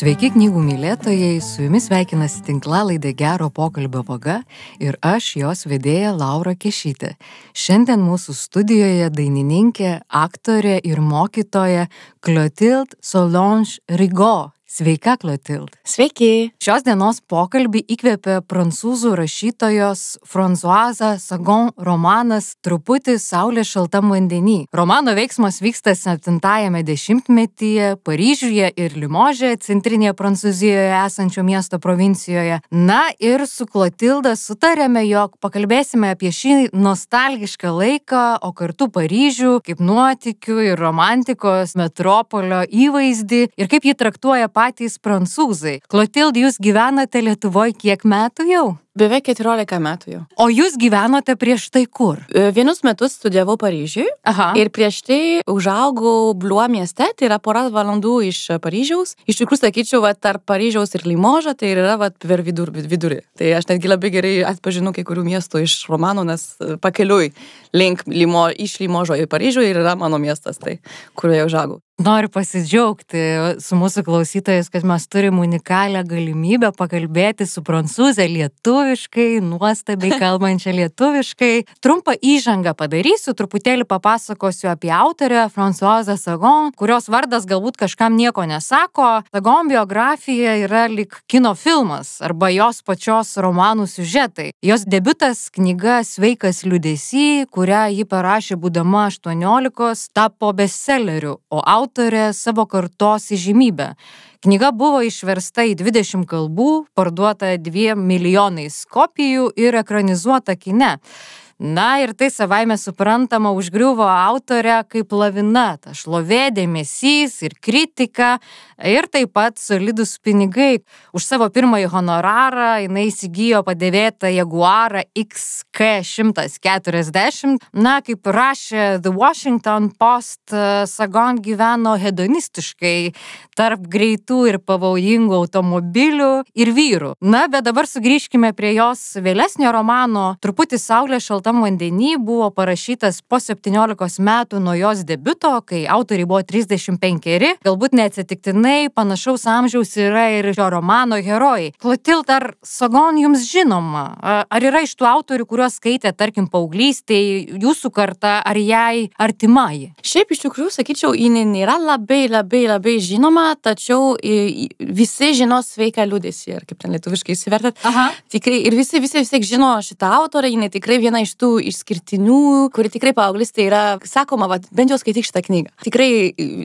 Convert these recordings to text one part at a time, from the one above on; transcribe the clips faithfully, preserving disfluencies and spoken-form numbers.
Sveiki knygų mylėtojai, su jumis sveikinasi tinklalaidė Gero pokalbio vaga ir aš, jos vedėja Laura Kešytė. Šiandien mūsų studijoje dainininkė, aktorė ir mokytoja Clotilde Solange Rigaud. Sveika, Clotilde. Sveiki. Šios dienos pokalbį įkvėpė prancūzų rašytojos Françoise Sagan romanas Truputį saulė šaltam vandenį. Romano veiksmas vyksta septintajame dešimtmetyje Paryžiuje ir Limože, centrinėje Prancūzijoje esančio miesto provincijoje. Na ir su Clotilde sutarėme, jog pakalbėsime apie šį nostalgišką laiką, o kartu Paryžių kaip nuotykių ir romantikos metropolio įvaizdį ir kaip jį traktuoja patys prancūzai. Clotilde, jūs gyvenate Lietuvoje kiek metų jau? Beveik keturiolika metų jau. O jūs gyvenote prieš tai kur? Vienus metus studijavau Paryžiui. Aha. Ir prieš tai užaugau Blois mieste, tai yra pora valandų iš Paryžiaus. Iš tikrųjų, sakyčiau, va, tarp Paryžiaus ir Limožo, tai yra va, per vidur, vidurį. Tai aš netgi labai gerai atpažinu kai kurių miestų iš romano, nes pakeliui link Limo, iš Limožo į Paryžių ir yra mano miestas, tai kurioje užaugau. Noriu pasidžiaugti su mūsų klausytojais, kad mes turim unikalią galimybę pakalbėti su prancūzė lietuviškai, nuostabiai kalbančia lietuviškai. Trumpą įžangą padarysiu, truputėlį papasakosiu apie autorę Françoise Sagan, kurios vardas galbūt kažkam nieko nesako. Sagan biografija yra lyg kino filmas arba jos pačios romanų siužetai. Jos debiutas knyga Sveikas liūdesy, kurią ji parašė būdama aštuoniolikos, tapo bestselleriu, o autorė savo kartos įžymybė. Knyga buvo išversta į dvidešimt kalbų, parduota dviem milijonais kopijų ir ekranizuota kine. Na ir tai savaime suprantama užgriuvo autorę kaip lavina, ta šlovė, dėmesys ir kritika ir taip pat solidūs pinigai. Už savo pirmąjį honorarą jinai įsigijo padėvėtą Jaguarą X K šimtas keturiasdešimt. Na, kaip rašė The Washington Post, Sagan gyveno hedonistiškai tarp greitų ir pavojingų automobilių ir vyrų. Na, bet dabar sugrįžkime prie jos vėlesnio romano Truputį saulė šaltam vandenį, buvo parašytas po septyniolikos metų nuo jos debiuto, kai autoriai buvo trisdešimt penkeri. Galbūt neatsitiktinai panašaus amžiaus yra ir šio romano herojai. Clotilde, ar Sagan jums žinoma? Ar yra iš tų autorių, kuriuos skaitė, tarkim, paauglystėje, jūsų karta, ar jai artimai? Šiaip iš tikrųjų, sakyčiau, ji nėra labai, labai, labai žinoma, tačiau visi žino Sveiką liūdesį, ar kaip ten lietuviškai įsivertat. Aha. Tikrai, ir visi, visi, visi žino šitą autorę, ji tikrai viena iš tų išskirtinių, kuri tikrai paauglystė yra, sakoma, va, bent jau skaityk šitą knygą. Tikrai,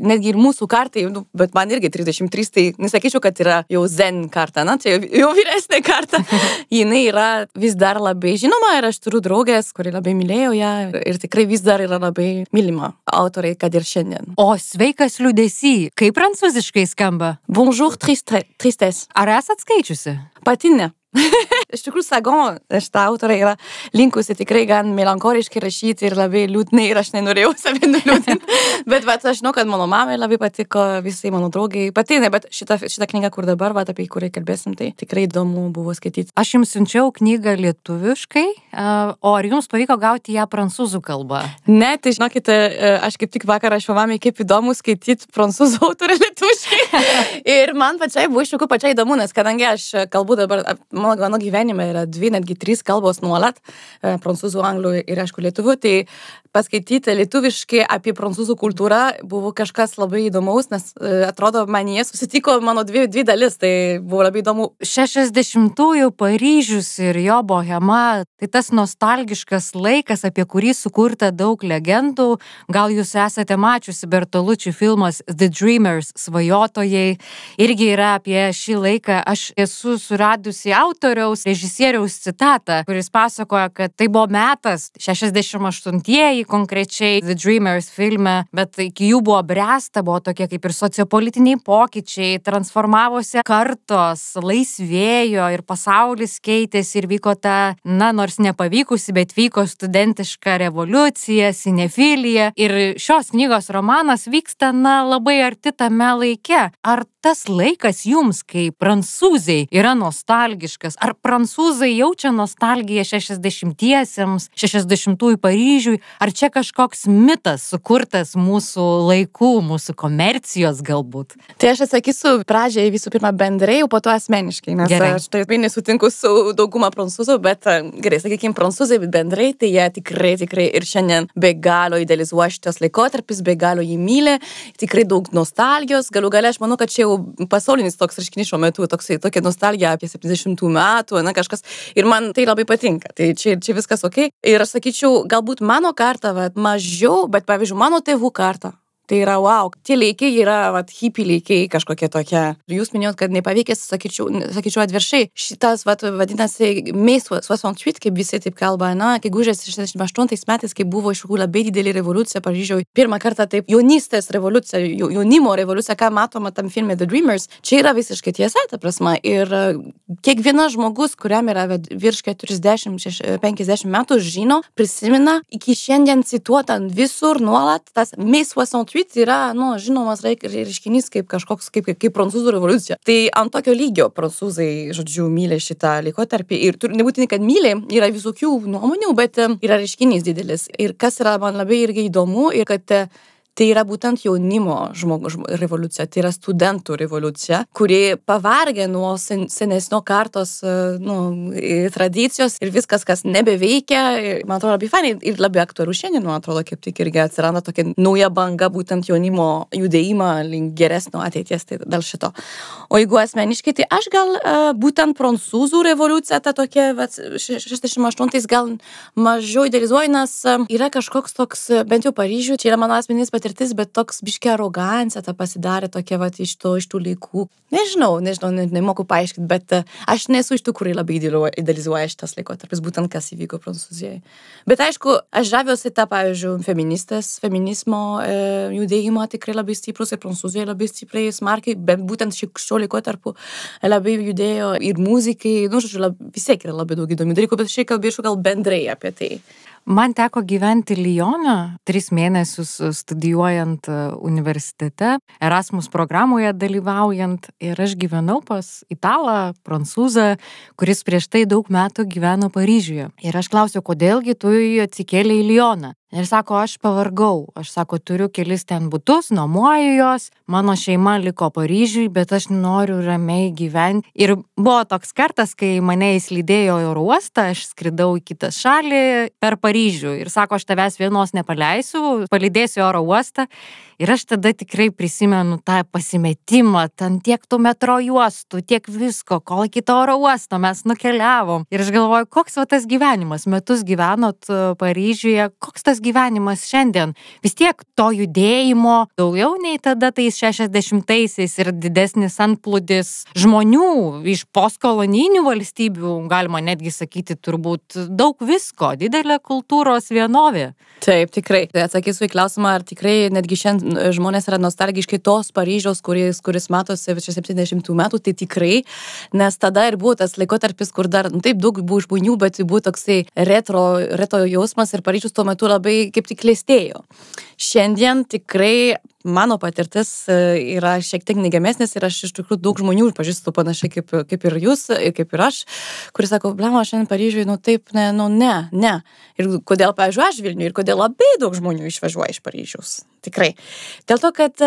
netgi ir mūsų kartai, nu, bet man irgi trisdešimt trys, tai nesakyčiau, kad yra jau zen karta, na, tai jau, jau vyresnė karta. Jinai yra vis dar labai žinoma ir aš turiu draugės, kuri labai mylėjo ją ir tikrai vis dar yra labai mylima autoriai, kad ir šiandien. O Sveikas liūdesy, kaip prancūziškai skamba? Bonjour triste, tristesse. Ar esat skaičiusi? Pati ne. Iš tikrųjų, Sagan, šitą autorę yra linkusi tikrai gan melankoliškai rašyti ir labai liūdnai ir aš nenorėjau save nuliūdinti. Bet vat, aš žinau, kad mano mamai labai patiko, visai mano draugai patinai, bet šitą, šitą knygą, kur dabar, vat, apie kurią kalbėsim, tai tikrai įdomu buvo skaityti. Aš jums siunčiau knygą lietuviškai, o ar jums pavyko gauti ją prancūzų kalbą? Ne, tai žinokite, aš kaip tik vakar rašiau mamai, kaip įdomu skaityti prancūzų autorę lietuviškai. Ir man pačiai buvo iš tikrųjų pačiai įdomu, nes kadangi aš kalbu dabar, mano, mano gyvenime yra dvi, netgi trys kalbos nuolat, prancūzų, anglų ir aišku lietuvių, tai paskaityti lietuviškai apie prancūzų kultūrą buvo kažkas labai įdomaus, nes atrodo, man jie susitiko mano dvi, dvi dalis, tai buvo labai įdomu. šešiasdešimtųjų Paryžius ir jo bohema, tai tas nostalgiškas laikas, apie kurį sukurta daug legendų. Gal jūs esate mačiusi Bertolucci filmas The Dreamers, svajotojai, irgi yra apie šį laiką. Aš esu suradusi autoriaus, režisieriaus citatą, kuris pasakoja, kad tai buvo metas, šešiasdešimt aštuntieji konkrečiai The Dreamers filme, bet iki jų buvo bręsta, buvo tokie kaip ir sociopolitiniai pokyčiai, transformavosi kartos, laisvėjo ir pasaulis keitėsi ir vyko ta, na, nors nepavykusi, bet vyko studentiška revoliucija, sinefilija ir šios knygos romanas vyksta, na, labai arti tame laike. Ar tas laikas jums, kaip prancūzai, yra nostalgiškas? lietuviškas. Ar prancūzai jaučia nostalgiją šešiasdešimtiesiems, šešiasdešimtųjų Paryžiui, ar čia kažkoks mitas sukurtas mūsų laikų, mūsų komercijos galbūt? Tai aš atsakysiu pradžiai visų pirma bendrai, o po to asmeniškai, nes gerai. Aš taip nesutinku su dauguma prancūzų, bet gerai, sakykime, prancūzai bendrai, tai jie tikrai, tikrai ir šiandien be galo idealizuoja šitas laikotarpis, be galo jį myli, tikrai daug nostalgijos, galiu gale, aš manau, kad čia jau pasaulinis toks reiškinys šiuo metu, toksai, tokia nostalgija apie septyniasdešimtų metų, na kažkas, ir man tai labai patinka, tai čia, čia viskas ok. Ir aš sakyčiau, galbūt mano karta, va, mažiau, bet pavyzdžiui, mano tėvų karta. Tai yra, wow, tie laikai yra, vat, hippie laikai kažkokie tokie. Jūs minėjot, kad nepaveikęs, sakyčiau, sakyčiau atviršiai. Šitas, vat, vadinasi, mai šešiasdešimt aštuoni, kaip visi taip kalba, na, kai gužės šešiasdešimt aštuntais metais, kai buvo iš tikrųjų labai didelė revoliucija Paryžiuje. Pirmą kartą taip jaunystės revoliucija, jaunimo revoliucija, ką matoma tam filme The Dreamers, čia yra visiškai tiesa, ta prasme. Ir kiekvienas žmogus, kuriam yra virš keturiasdešimt penkiasdešimt metų, žino, prisimena, iki šiandien cituota visur nuolat tas mai šešiasdešimt yra, nu, žinomas reiškinys kaip kažkoks, kaip, kaip prancūzų revoliucija. Tai ant tokio lygio prancūzai, žodžiu, myli šitą laikotarpį. Ir nebūtinai, kad myli, yra visokių nuomonių, bet yra reiškinys didelis. Ir kas yra man labai irgi įdomu, ir kad tai yra būtent jaunimo žmogų revoliucija, tai yra studentų revoliucija, kuri pavargė nuo sen, senesnio kartos nu, tradicijos ir viskas, kas nebeveikia. Man atrodo labai fainai ir labai aktualu šiandien, man atrodo, kaip tik irgi atsiranda tokia nauja banga, būtent jaunimo judėjimą link geresnio ateities, tai dėl šito. O jeigu asmeniškai, tai aš gal būtent prancūzų revoliucija, ta tokia, šešiasdešimt aštuntais gal mažiau idealizuoju, nes yra kažkoks toks, bent jau Paryžiuje, čia yra mano asmeninis patirtis, bet toks biškė arogancija ta pasidarė tokia, vat, iš to, iš tų laikų. Nežinau, nežinau, ne, nemoku paaiškinti, bet aš nesu iš tų, kurie labai idealizuoja šitas laikotarpis, būtent kas įvyko Prancūzijoje. Bet aišku, aš žaviuosi tą, pavyzdžiui, feministės, feminizmo e, judėjimą tikrai labai stiprus ir Prancūzijoje labai stipriai smarkiai, bet būtent šio laikotarpiu labai judėjo ir muzikai, nu, žodžiu, lab, vis tiek yra labai daug įdomių dalykų, bet šiai kalbėčiau gal bendrai apie tai. Man teko gyventi Lyone, tris mėnesius studijuojant universitete, Erasmus programoje dalyvaujant, ir aš gyvenau pas italą, prancūzą, kuris prieš tai daug metų gyveno Paryžiuje. Ir aš klausiau, kodėlgi tu atsikėlei į Lyoną. Ir sako, aš pavargau, aš sako, turiu kelis ten butus, nuomoju jos, mano šeima liko Paryžiui, bet aš noriu ramiai gyventi. Ir buvo toks kartas, kai mane įslydėjo į oro uostą, aš skridau į kitą šalį per Paryžių ir sako, aš tavęs vienos nepaleisiu, palydėsiu į oro uostą. Ir aš tada tikrai prisimenu tą pasimetimą, ten tiek tų metro juostų, tiek visko, kol iki to oro uosto mes nukeliavom. Ir aš galvoju, koks va tas gyvenimas, metus gyvenot Paryžiuje, koks tas gyvenimas šiandien. Vis tiek to judėjimo daugiau nei tada tais šešiasdešimtaisiais ir didesnis antplūdis žmonių iš postkolonijinių valstybių, galima netgi sakyti, turbūt daug visko, didelė kultūros vienovė. Taip, tikrai. Atsakysiu į klausimą, ar tikrai netgi šiandien žmonės yra nostalgiškai tos Paryžiaus, kuris, kuris matosi septyniasdešimtų metų, tai tikrai, nes tada ir buvo tas laikotarpis, kur dar, nu, taip daug buvo žmonių, bet buvo toksai retro, retro jausmas ir Paryžius tuo metu labai kaip tik klestėjo. Šiandien tikrai mano patirtis yra šiek tiek negemesnės ir aš iš tikrųjų daug žmonių pažįstu panašiai kaip, kaip ir jūs, kaip ir aš, kuris sako, blema, šiandien Paryžiui, nu taip, ne, nu ne, ne. Ir kodėl, pavyzdžiui, aš Vilniuje ir kodėl labai daug žmonių išvažiuoja iš Paryžiaus. Tikrai. Dėl to, kad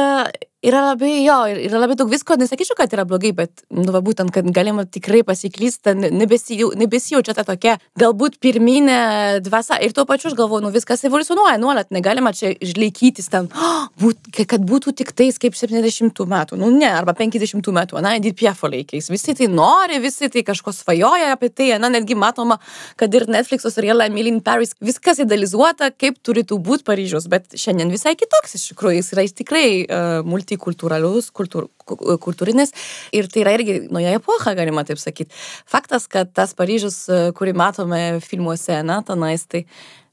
yra labai, jo, yra labai daug visko, nesakyčiau, kad yra blogai, bet, nu, va, būtent, kad galima tikrai pasiklysti, nebesijau, nebesijaučia ta tokia, galbūt pirminė dvasia. Ir tuo pačiu aš galvoju, nu, viskas evoliucionuoja nuolat, negalima čia išlaikytis ten, oh, būt, kad būtų tik tais kaip septyniasdešimtų metų, nu, ne, arba penkiasdešimtų metų, na, Edith Piaf laikais. Visi tai nori, visi tai kažko svajoja apie tai, na, netgi matoma, kad ir Netflix'o serialą Emily in Paris, viskas idealizuota, kaip turėtų būti Paryžius, bet šiandien visai kitoks iš tikrųjų, jis yra tikrai uh, multikulturalus, kultūr, kultūrinis ir tai yra irgi nauja epocha, galima taip sakyti. Faktas, kad tas Paryžius, kurį matome filmuose, na, tenais, tai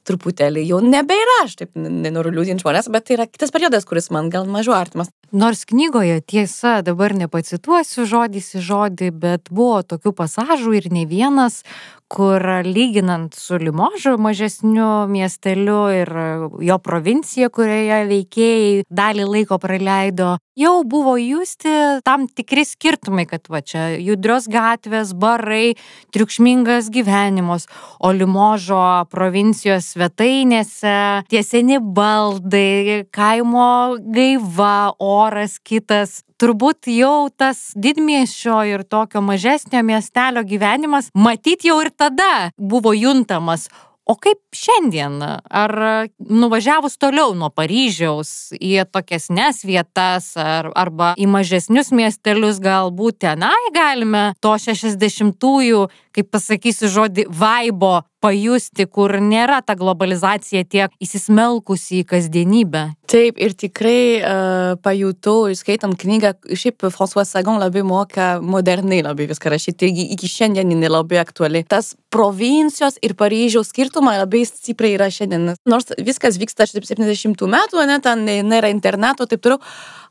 truputėlį jau nebėra, aš taip nenoriu liūdinti žmonės, bet tai yra kitas periodas, kuris man gal mažiau artimas. Nors knygoje, tiesa, dabar nepacituosiu žodis į žodį, bet buvo tokių pasažų ir ne vienas, kur lyginant su Limožu mažesniu miesteliu ir jo provincija, kurioje veikėjai dalį laiko praleido, jau buvo justi tam tikri skirtumai, kad va čia judrios gatvės, barai, triukšmingas gyvenimas, o Limožo provincijos svetainėse tie seni baldai, kaimo gaiva, oras kitas. Turbūt jau tas didmiesčio ir tokio mažesnio miestelio gyvenimas matyt jau ir tada buvo juntamas. O kaip šiandien? Ar nuvažiavus toliau nuo Paryžiaus į tokiasnes vietas ar, arba į mažesnius miestelius galbūt tenai galime to šešiasdešimtųjų, kaip pasakysiu žodį, vaibo pajusti, kur nėra ta globalizacija tiek įsismelkusi į kasdienybę? Taip, ir tikrai uh, pajutau, skaitant knygą, šiaip François Sagan labai moka modernai labai viską rašyti, taigi iki šiandien jinai labai aktuali. Tas provincijos ir Paryžiaus skirtumai labai stipriai yra šiandien. Nors viskas vyksta septyniasdešimtų metų, ne, ten nėra interneto, taip toliau,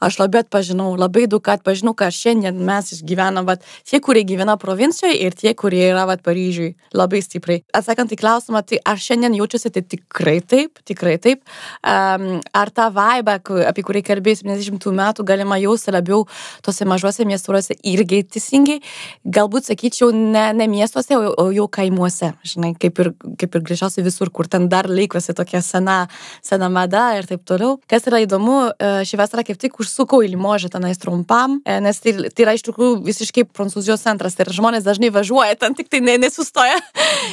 aš labai atpažinau, labai daug atpažinau, ką šiandien mes išgyvenam, vat, tie, kurie gyvena provincijoje ir tie, kurie yra vat, Paryžiui, labai stipriai. Atsakant į klausimą, tai aš šiandien jaučiuosi tai tikrai taip, tikrai taip. Um, ar tą vaibą, apie kurį kalbėjau septyniasdešimtų metų, galima jausti labiau tose mažuose miestuose irgi teisingai? Galbūt sakyčiau, ne, ne miestuose, o, o jau kaimuose, žinai, kaip ir, kaip ir greičiausiai visur, kur ten dar laikosi tokia sena, sena mada ir taip toliau. Kas yra įdomu, šį vasarą kaip tik užsukau į Limožą tenais trumpam, nes tai, tai yra iš tikrųjų visiškai Prancūzijos centras, tai žmonės dažnai važiuoja, ten tik tai ne, nesustoja.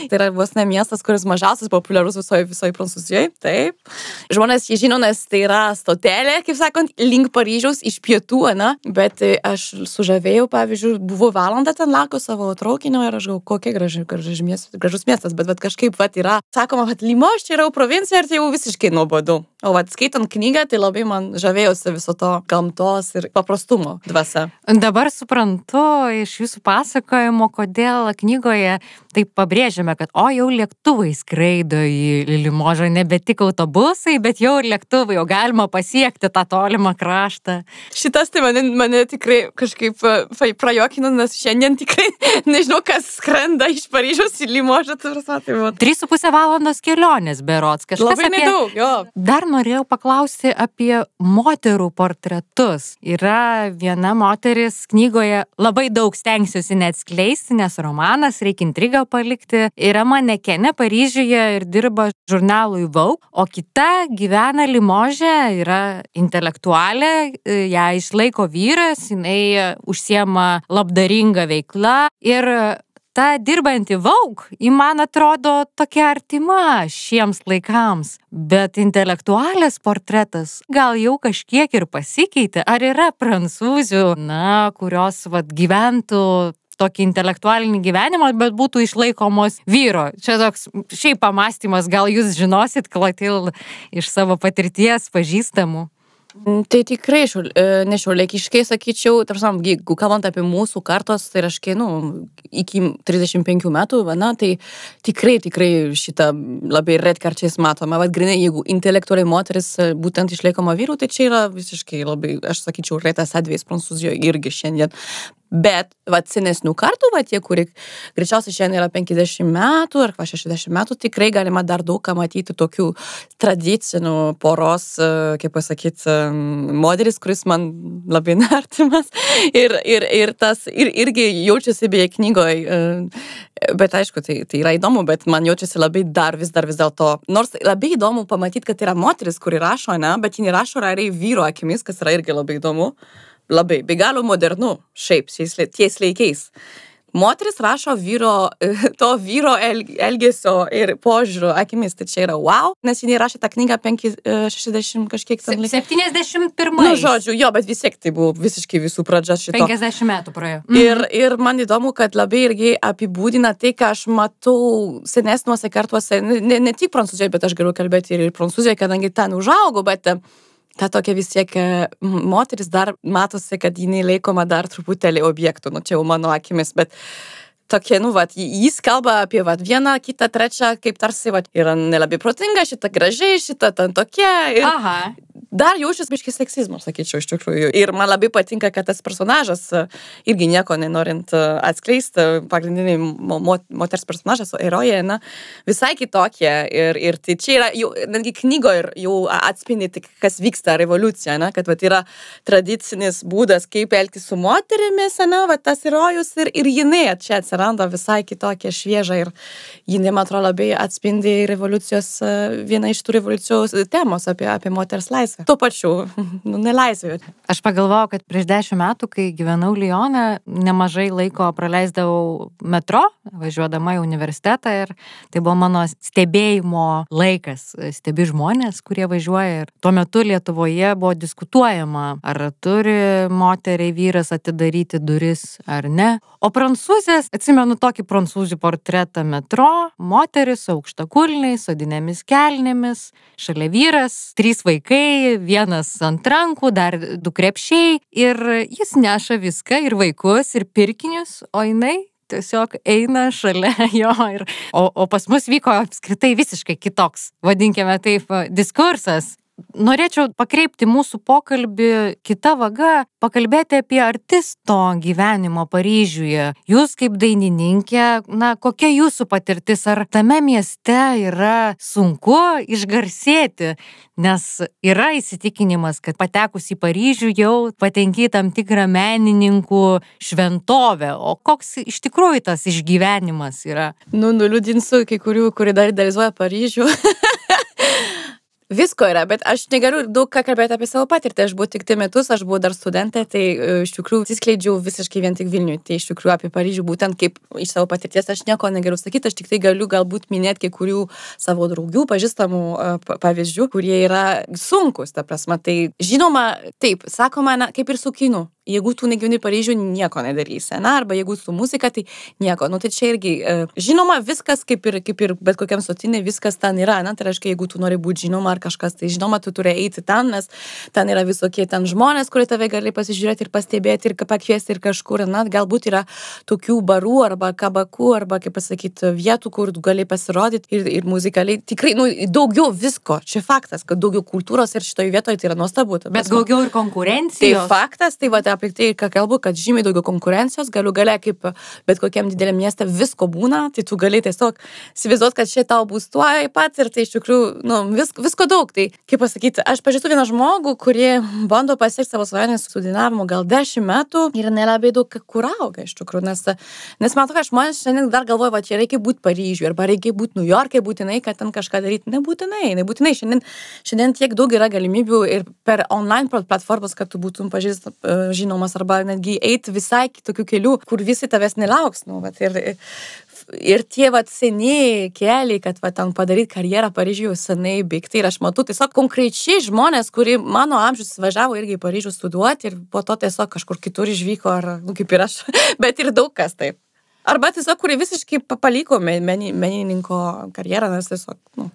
Tai yra vos ne miestas, kuris mažiausias populiarus visoje, visoje Prancūzijoje, taip. Žmonės jį žino, nes tai yra stotelė, kaip sakant, link Paryžiaus iš pietų, ne? Bet aš sužavėjau, pavyzdžiui, buvo valandą ten lako savo traukinio ir aš galvoju, kokia graži, graži miestas, gražus miestas, bet, bet kažkaip vat, yra, sakoma, kad Limož čia yra provincija ir tai jau visiškai nuobodu. O vat, skaitant knygą, tai labai man žavėjosi viso to gamtos ir paprastumo dvasia. Dabar suprantu iš jūsų pasakojimo, kodėl knygoje taip pabrėžiame, kad o jau lėktuvai skraido į Limožą, nebe tik autobusai, bet jau ir lėktuvai, jau galima pasiekti tą tolimą kraštą. Šitas tai mane, mane tikrai kažkaip prajokino, nes šiandien tikrai nežinau, kas skrenda iš Paryžiaus į Limožą. Trys su pusė valandos kelionės berods. Kažkas labai apie... nedaug, jo. Dar norėjau paklausti apie moterų portretus. Yra viena moteris knygoje, labai daug stengsiuosi neatskleisti, nes romanas, reikia intrigą palikti. Yra manekenė Paryžiuje ir dirba žurnalui Vogue, o kita gyvena Limože, yra intelektualė, ją išlaiko vyras, jinai užsiema labdaringa veikla ir ta dirbanti Vogue, ji man atrodo tokia artima šiems laikams, bet intelektualės portretas gal jau kažkiek ir pasikeitė. Ar yra prancūzių, na, kurios vat, gyventų tokį intelektualinį gyvenimą, bet būtų išlaikomos vyro? Čia toks šiaip pamastymas, gal jūs žinosit, Klotil, iš savo patirties pažįstamų? Tai tikrai, nešiuolaikiškai sakyčiau, tarpsam, jeigu kalbant apie mūsų kartos, tai raškai, nu, iki trisdešimt penkių metų, na, tai tikrai, tikrai šitą labai retkarčiais matoma. Vat grinai, jeigu intelektualiai moteris būtent išlaikoma vyrų, tai čia yra visiškai labai, aš sakyčiau, retas atvejis Prancūzijoje irgi šiandien. Bet, vat, senesnių kartų, vat, tie, kurie greičiausiai šiandien yra penkiasdešimt metų ar šešiasdešimt metų, tikrai galima dar daug ką matyti tokių tradicinių poros, kaip pasakyti, modelis, kuris man labai artimas ir, ir, ir tas ir, irgi jaučiasi beje knygoje. Bet aišku, tai, tai yra įdomu, bet man jaučiasi labai dar vis dar vis dėlto. Nors labai įdomu pamatyti, kad yra moteris, kuri rašo, ne, bet ji rašo realiai vyro akimis, kas yra irgi labai įdomu. Labai, be galo modernu, šiaip, ties laikais. Moteris rašo vyro, to vyro elgesio ir požiūrio akimis, tai čia yra wow, nes jie rašė tą knygą šešiasdešimt kažkiek ten. septyniasdešimt pirmais. Nu, žodžiu, jo, bet vis tiek tai buvo visiškai visų pradžia šito. penkiasdešimt metų praėjo. Mhm. Ir, ir man įdomu, kad labai irgi apibūdina tai, ką aš matau senesniuose kartuose, ne, ne tik Prancūzijoje, bet aš galiu kalbėti ir Prancūzijoje, kadangi ten užaugau, bet ta tokia vis tiek moteris dar matosi, kad jinai laikoma dar truputėlį objektų, nu čia jau mano akimis, bet tokie, nu, vat, jis kalba apie, vat, vieną, kitą, trečią, kaip tarsi, vat, yra nelabai protinga, šita gražiai, šita ten tokia. Ir Aha. dar jaučiasi biškis seksizmo, sakyčiau, iš tikrųjų. Ir man labai patinka, kad tas personažas, irgi nieko nenorint atskleisti, pagrindiniai mo moters personažas, herojė, na, visai kitokie. Ir, ir tai čia yra, jau, netgi knygo ir jau atspindi, tik, kas vyksta revoliucija, na, kad vat, yra tradicinis būdas, kaip elgtis su moterimis, na, vat, tas herojus ir, ir jinai čia atsiranda visai kitokia, švieža ir jinai, man atrodo, labai atspindi revoliucijos, vieną iš tų revoliucijos temos apie, apie moters laisvę. Tuo pačiu, nu, nelaisvė. Aš pagalvojau, kad prieš dešimt metų, kai gyvenau Lione, nemažai laiko praleisdavau metro, važiuodama į universitetą ir tai buvo mano stebėjimo laikas. Stebi žmonės, kurie važiuoja ir tuo metu Lietuvoje buvo diskutuojama, ar turi moteriai vyras atidaryti duris ar ne. O prancūzės, atsimenu tokį prancūzų portretą metro, moteris aukštakulniais, sodinėmis kelnėmis, šalia vyras, trys vaikai, vienas ant rankų, dar du krepšiai ir jis neša viską ir vaikus, ir pirkinius, o jinai tiesiog eina šalia jo. Ir, o, o pas mus vyko apskritai visiškai kitoks, vadinkime taip, diskursas. Norėčiau pakreipti mūsų pokalbį kita vaga, pakalbėti apie artisto gyvenimo Paryžiuje. Jūs kaip dainininkė, na, kokia jūsų patirtis, ar tame mieste yra sunku išgarsėti, nes yra įsitikinimas, kad patekus į Paryžių jau patenki tam tikrą menininkų šventovę, o koks iš tikrųjų tas išgyvenimas yra? Nu, nuliūdinsiu kai kurių, kurie dar idealizuoja Paryžių. Visko yra, bet aš negaliu daug ką kalbėti apie savo patirtį. Aš buvau tik tai metus, aš buvau dar studentė, tai iš tikrųjų atsiskleidžiau visiškai vien tik Vilniui. Tai iš tikrųjų apie Paryžių būtent kaip iš savo patirties aš nieko negaliu sakyti, aš tik tai galiu galbūt minėti kai kurių savo draugių, pažįstamų pavyzdžių, kurie yra sunkus, ta prasme. Tai žinoma, taip, sakoma, na, kaip ir su kinu. Jeigu tu negyveni Paryžių, nieko nedarysi, na, arba jeigu su muzika, tai nieko. Nu, tai čia irgi, žinoma, viskas kaip ir, kaip ir bet kokiam sotinė, viskas ten yra, na, tai reiškia, jeigu tu nori būti žinoma ar kažkas, tai žinoma, tu turi eiti ten, nes ten yra visokie ten žmonės, kurie tave gali pasižiūrėti ir pastebėti ir pakviesti ir kažkur, na, galbūt yra tokių barų arba kabakų, arba, kaip pasakyti, vietų, kur tu gali pasirodyti ir, ir muzikaliai. Tikrai, nu, daugiau visko. Čia faktas, kad daugiau kultūros ir šitoje vietoje tai yra nuostabu. Bet daugiau ir konkurencijos. Tai faktas, tai va, apie tai, ką kalbu, kad žymiai daugiau konkurencijos, galiu galia kaip bet kokiam dideliam mieste visko būna, tai tu gali tiesiog įsivaizduoti, kad čia tau bus tuo pat ir tai iš tikrųjų, nu, vis, visko daug. Tai, kaip pasakyti, aš pažįstu vieną žmogų, kurie bando pasiekti savo svajonės su dainavimu gal dešimt metų ir nelabai daug kur auga iš tikrųjų, nes, nes man to, kad žmonės šiandien dar galvoja, va, čia reikia būti Paryžiuje arba reikia būti New York'e būtinai, kad ten kažką daryti. Nebūtinai, nebūtinai. Šiandien, šiandien tiek daug yra galimybių ir per online platformas, kad tu būtum pažįst, žinomas arba netgi eiti visai kitokių kelių, kur visi tavęs nelauks. Nu, vat, ir, ir tie vat, seniai keliai, kad vat, ten padaryti karjerą Paryžiuje senai baigti. Ir aš matau tiesiog konkrečiai žmonės, kurie mano amžius važiavo irgi į Paryžių studijuoti ir po to tiesiog kažkur kitur išvyko, ar, nu, kaip ir aš, bet ir daug kas taip. Arba tiesiog, kurie visiškai paliko menininko karjerą, nes tiesiog, nu,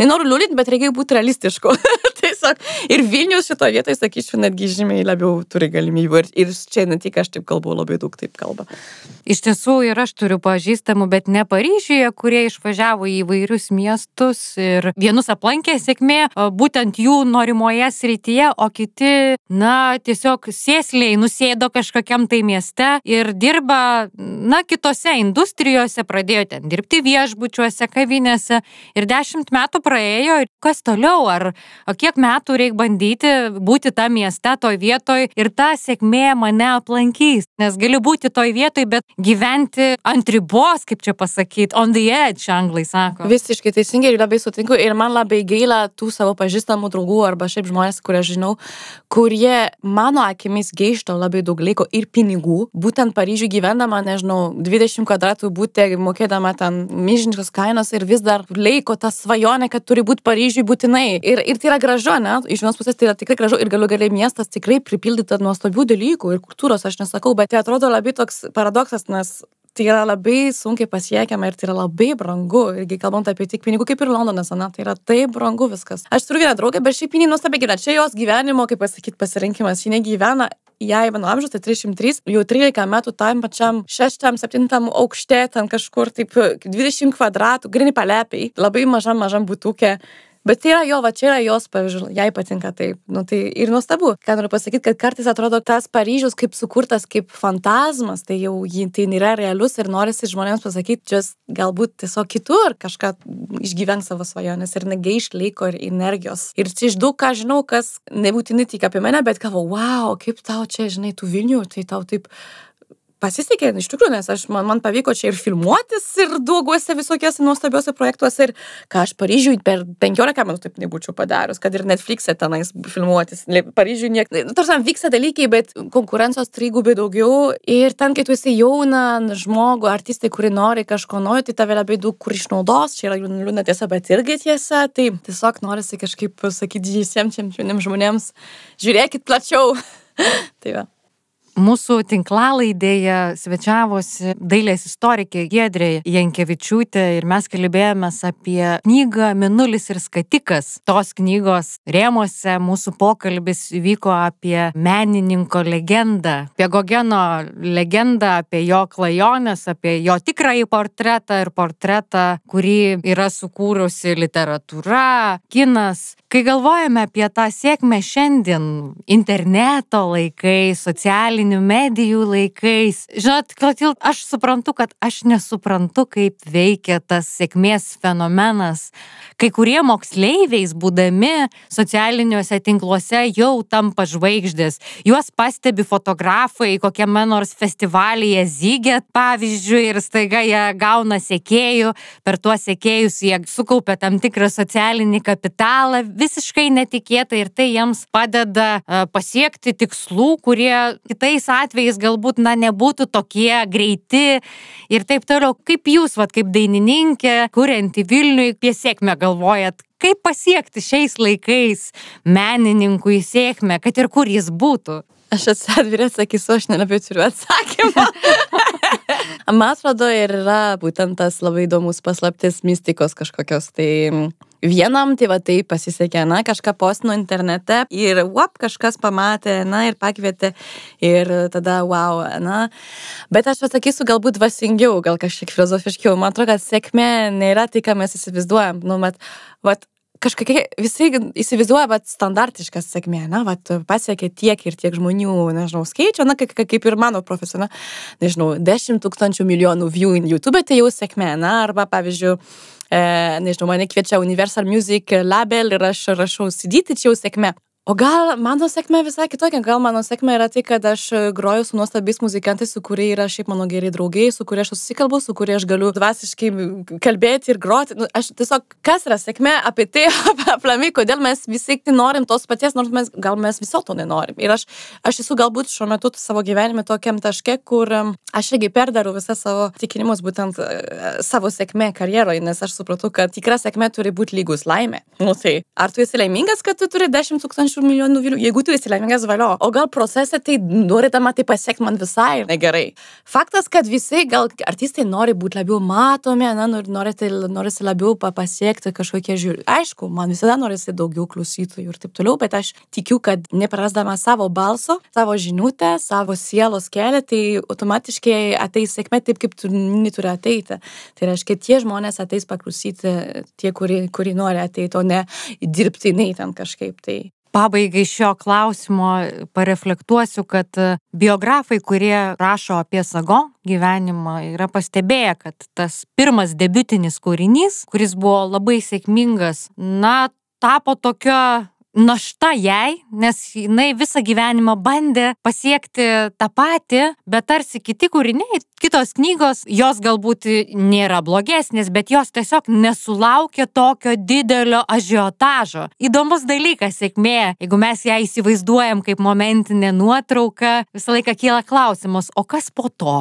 nenoriu liūdinti, bet reikia būti realistišku. Tiesiog ir Vilnius šito vietoje, sakyčiau, netgi žymiai labiau turi galimybę. Ir, ir čia ne tik aš taip kalbu, labai daug taip kalba. Iš tiesų ir aš turiu pažįstamų, bet ne Paryžiuje, kurie išvažiavo į įvairius miestus ir vienus aplankė sėkmė būtent jų norimoje srityje, o kiti, na, tiesiog sėsliai nusėdo kažkokiam tai mieste ir dirba, na, kitose industrijose, pradėjo ten dirbti viešbučiuose, kavinėse ir dešimt metų praėjo ir kas toliau, ar o kiek metų reikia bandyti būti tą mieste, toj vietoj ir ta sėkmė mane aplankys, nes gali būti toj vietoj, bet gyventi ant ribos, kaip čia pasakyti, on the edge, anglai sako. Visiškai teisingai ir labai sutinku ir man labai gaila tų savo pažįstamų draugų arba šiaip žmonės, kurie žinau, kurie mano akimis gaišto labai daug laiko ir pinigų, būtent Paryžiuje gyvendama, nežinau, dvidešimt kvadratų būti, mokėdama ten milžiniškas kainos ir vis dar laiko tą svajonę, kad turi būti Paryžiuje būtinai. Ir, ir tai yra gražu, ne? Iš vienos pusės tai yra tikrai gražu ir galiu galiai miestas tikrai pripildyta nuostabių dalykų ir kultūros, aš nesakau, bet tai atrodo labai toks paradoksas, nes tai yra labai sunkiai pasiekiama ir tai yra labai brangu. Irgi kalbant apie tik pinigų, kaip ir Londonas, ne? Tai yra taip brangu viskas. Aš turiu vieną draugę, bet šiaip jinai nuostabiai gyvena. Čia jos gyvenimo, kaip pasakyti, pasirinkimas. Ji negyvena jai mano amžius, tai trisdešimt trys, jau trylika metų tam pačiam šeštam, septintam aukšte, ten kažkur taip dvidešimt kvadratų, grini palepiai, labai mažam, mažam būtukė. Bet tai yra jo, va čia yra jos, pavyzdžiui, jai patinka taip. Nu, tai ir nuostabu. Ką noriu pasakyti, kad kartais atrodo tas Paryžius kaip sukurtas kaip fantazmas, tai jau tai nėra realus ir norisi žmonėms pasakyti, just galbūt tiesiog kitur kažką išgyvenk savo svajonės ir negaišk laiko ir energijos. Ir čia iš daug ką žinau, kas nebūtinai tik apie mane, bet galvo, wow, kaip tau čia, žinai, tų Vilnių, tai tau taip pasisekė, iš tikrųjų, nes aš, man, man pavyko čia ir filmuotis ir dauguose visokiuose nuostabiuose projektuose ir ką aš Paryžiui per penkiolika metų taip nebūčiau padarius, kad ir Netflix'e tenais filmuotis. Paryžiui niek... Nu, tarsi vyksta dalykai, bet konkurencijos trigubai daugiau ir ten, kai tu esi jauna žmogų, artistai, kuri nori kažko nori, tai tave labai daug kur išnaudos, čia yra liūdna tiesa, bet irgi tiesa, tai tiesiog norisi kažkaip pasakyti visiems jauniems žmonėms, žiūrėkit plačiau. Tai va. Mūsų tinklalaidėje svečiavosi dailės istorikė Giedrė Jankevičiūtė ir mes kalbėjomės apie knygą Mėnulis ir skatikas. Tos knygos rėmuose mūsų pokalbis vyko apie menininko legendą, apie Gogeno legendą, apie jo klajones, apie jo tikrąjį portretą ir portretą, kurį yra sukūrusi literatūra, kinas. Kai galvojame apie tą sėkmę šiandien, interneto laikais, socialinių medijų laikais, žinot, Klotilda, aš suprantu, kad aš nesuprantu, kaip veikia tas sėkmės fenomenas. Kai kurie moksleiviais būdami socialiniuose tinkluose jau tampa žvaigždės. Juos pastebi fotografai kokiame nors festivalyje Ziget, pavyzdžiui, ir staiga jie gauna sekėjų, per tuos sekėjus jie sukaupia tam tikrą socialinį kapitalą, visiškai netikėtai ir tai jiems padeda uh, pasiekti tikslų, kurie kitais atvejais galbūt, na, nebūtų tokie greiti ir taip toliau. Kaip jūs, vat, kaip dainininkė, kurianti Vilniui, apie sėkmę galvojat, kaip pasiekti šiais laikais menininkui sėkmę, kad ir kur jis būtų? Aš atsidvirė atsakysiu, aš nelabai turiu atsakymą. Man atrodo, ir yra būtent tas labai įdomus paslaptis mistikos kažkokios. Tai vienam, tai va tai pasisekė, na, kažką postino internete ir uop, kažkas pamatė, na, ir pakvietė ir tada, wow, na. Bet aš atsakysiu galbūt dvasingiau, gal kažkiek filosofiškiau. Man atrodo, kad sėkmė nėra tai, ką mes įsivaizduojam. Nu, bet, vat, kažkokie visi įsivaizduoja, bet standartiškas sėkmė, na, vat, pasiekė tiek ir tiek žmonių, nežinau, skaičio, na, kaip, kaip ir mano profesija, nežinau, dešimt tūkstančių milijonų view in YouTube, tai jau sėkmė, na, arba, pavyzdžiui, e, nežinau, mane kviečia Universal Music label ir aš rašau C D, tai čia jau sėkmė. O gal mano sėkmė visai kitokia, gal mano sėkmė yra tai, kad aš groju su nuostabiais muzikantais, su kurie yra šiaip mano geri draugai, su kurie aš susikalbu, su kurie aš galiu dvasiškai kalbėti ir groti. Nu, aš tiesiog, kas yra sėkmė apie tai, aplamai, kodėl mes visi norim tos paties, nors mes, gal mes viso to nenorim. Ir aš, aš esu galbūt šiuo metu savo gyvenime tokiam taške, kur aš irgi perdarau visą savo tikinimus būtent savo sėkmė karjeroje, nes aš supratau, kad tikra sėkmė turi būti lygus laimė. Nu, tai, ar tu esi laimingas, kad tu turi dešimt tūkstančių milijonų vyrų, jeigu tu esi laimingas, valio. O gal procese tai norėdama tai pasiekti man visai negerai. Faktas, kad visi, gal artistai nori būti labiau matomi, na, norisi, norisi labiau pasiekti kažkokie žiūri. Aišku, man visada norisi daugiau klausytojų ir taip toliau, bet aš tikiu, kad neprarasdama savo balso, savo žinutę, savo sielos kelią, tai automatiškai ateis sėkmė taip, kaip tu neturi ateiti. Tai reiškia, tie žmonės ateis paklausyti, tie, kurie, kurie nori ateiti, o ne dirbtinai ten kažkaip. Tai Pabaigai šio klausimo pareflektuosiu, kad biografai, kurie rašo apie Sago gyvenimą, yra pastebėję, kad tas pirmas debiutinis kūrinys, kuris buvo labai sėkmingas, na, tapo tokio našta jai, nes jinai visą gyvenimą bandė pasiekti tą patį, bet tarsi kiti kūriniai, kitos knygos, jos galbūt nėra blogesnės, bet jos tiesiog nesulaukė tokio didelio ažiotažo. Įdomus dalykas sėkmė, jeigu mes ją įsivaizduojam kaip momentinę nuotrauką, visą laiką kyla klausimas, o kas po to?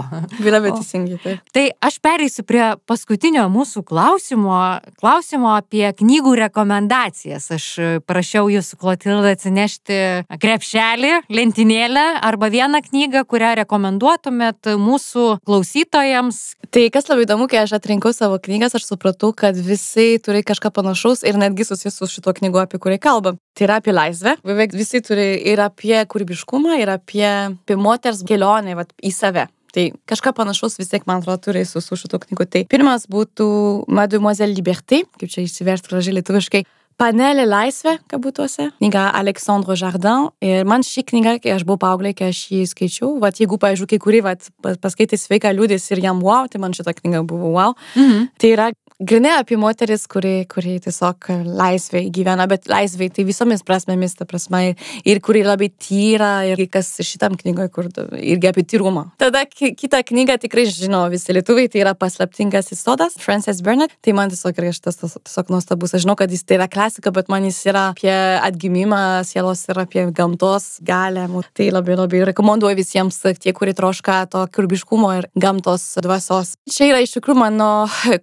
Labai teisingai, taip. Tai aš pereisiu prie paskutinio mūsų klausimo, klausimo apie knygų rekomendacijas. Aš prašiau jūs su Klotilda atsinešti krepšelį, lentynėlę arba vieną knygą, kurią rekomenduotumėt mūsų klausytojams. Tai kas labai įdomu, kai aš atrinkau savo knygas, aš supratau, kad visi turi kažką panašaus ir netgi susijęs su šito knygu, apie kurį kalbam. Tai yra apie laisvę. Beveik visi turi ir apie kūrybiškumą, ir apie, apie moters kelionę vat, į save. Tai kažką panašaus vis tiek, man atrodo, turi su, su šito knygu. Tai pirmas būtų Mademoiselle Liberté, kaip čia išsiversti gražiai lietuviškai. Panelė laisvė, kabutose. Knyga Alexandre Jardin. Ir man ši knyga, kai aš buvau paauglė, kai aš jį skaičiau, vat jeigu, pavyzdžiui, kai kuri vat, paskaitė sveiką liūdės ir jam wow, tai man šita knyga buvo wow. Mhm. Tai yra grinai apie moteris, kuri, kuri tiesiog laisvė gyvena, bet laisvė tai visomis prasmėmis, ta prasme, ir, ir kuri labai tyra, ir kas šitam knygoje, kur irgi apie tyrumą. Tada kitą knygą tikrai žino visi lietuviai, tai yra Paslaptingasis sodas, Frances Burnett. Tai man tiesiog yra šitas tiesiog nuostabus. Aš žinau, kad jis tai yra klasika, bet man jis yra apie atgimimą sielos ir apie gamtos galę. Tai labai labai rekomenduoju visiems tie, kurie troška to kūrybiškumo ir gamtos dvasios. Čia yra iš tikrųjų mano,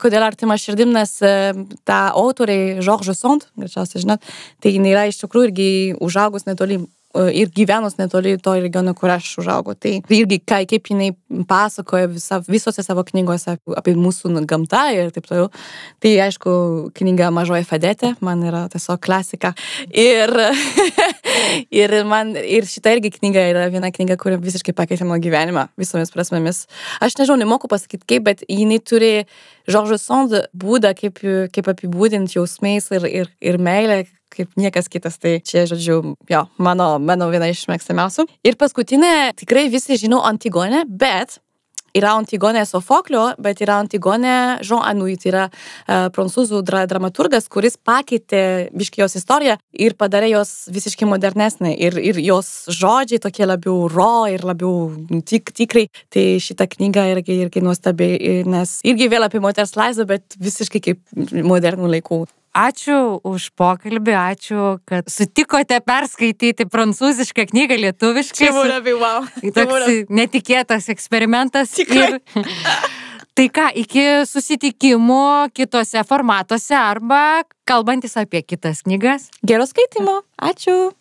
kodėl artima širdim, nes ta autorė George Sand, greičiausiai žinot, tai jinai yra iš tikrųjų irgi užaugus netoli ir gyvenus netoli to regiono, kur aš užaugau. Tai irgi kaip jinai pasakoja visa, visose savo knygose apie mūsų gamtą ir taip toliau. Tai aišku, knyga Mažoji Fadetė, man yra tiesiog klasika. Ir, ir, man, ir šita irgi knyga yra viena knyga, kuri visiškai pakeitė mano gyvenimą visomis prasmėmis. Aš nežinau, nemoku pasakyti kaip, bet jinai turi George Sand būdą, kaip, kaip apibūdinti jausmais ir, ir, ir meilę, kaip niekas kitas. Tai čia, žodžiu, jo, mano, mano viena iš mėgstamiausių. Ir paskutinė, tikrai visi žino Antigonę, bet yra Antigonė Sofoklio, bet yra Antigonė Jean Anouilh, tai yra uh, prancūzų dra dramaturgas, kuris pakeitė biškį jos istoriją ir padarė jos visiškai modernesnė. Ir, ir jos žodžiai tokie labiau raw ir labiau tik, tikrai. Tai šita knyga irgi, irgi nuostabi, nes irgi vėl apie moters laisvę, bet visiškai kaip modernų laikų. Ačiū už pokalbį, ačiū, kad sutikote perskaityti prancūzišką knygą lietuviškai. Čia buvo labai wow. Toks netikėtas eksperimentas. Tikrai. Ir... Tai ką, iki susitikimų kitose formatuose arba kalbantis apie kitas knygas. Gero skaitimo. Ačiū.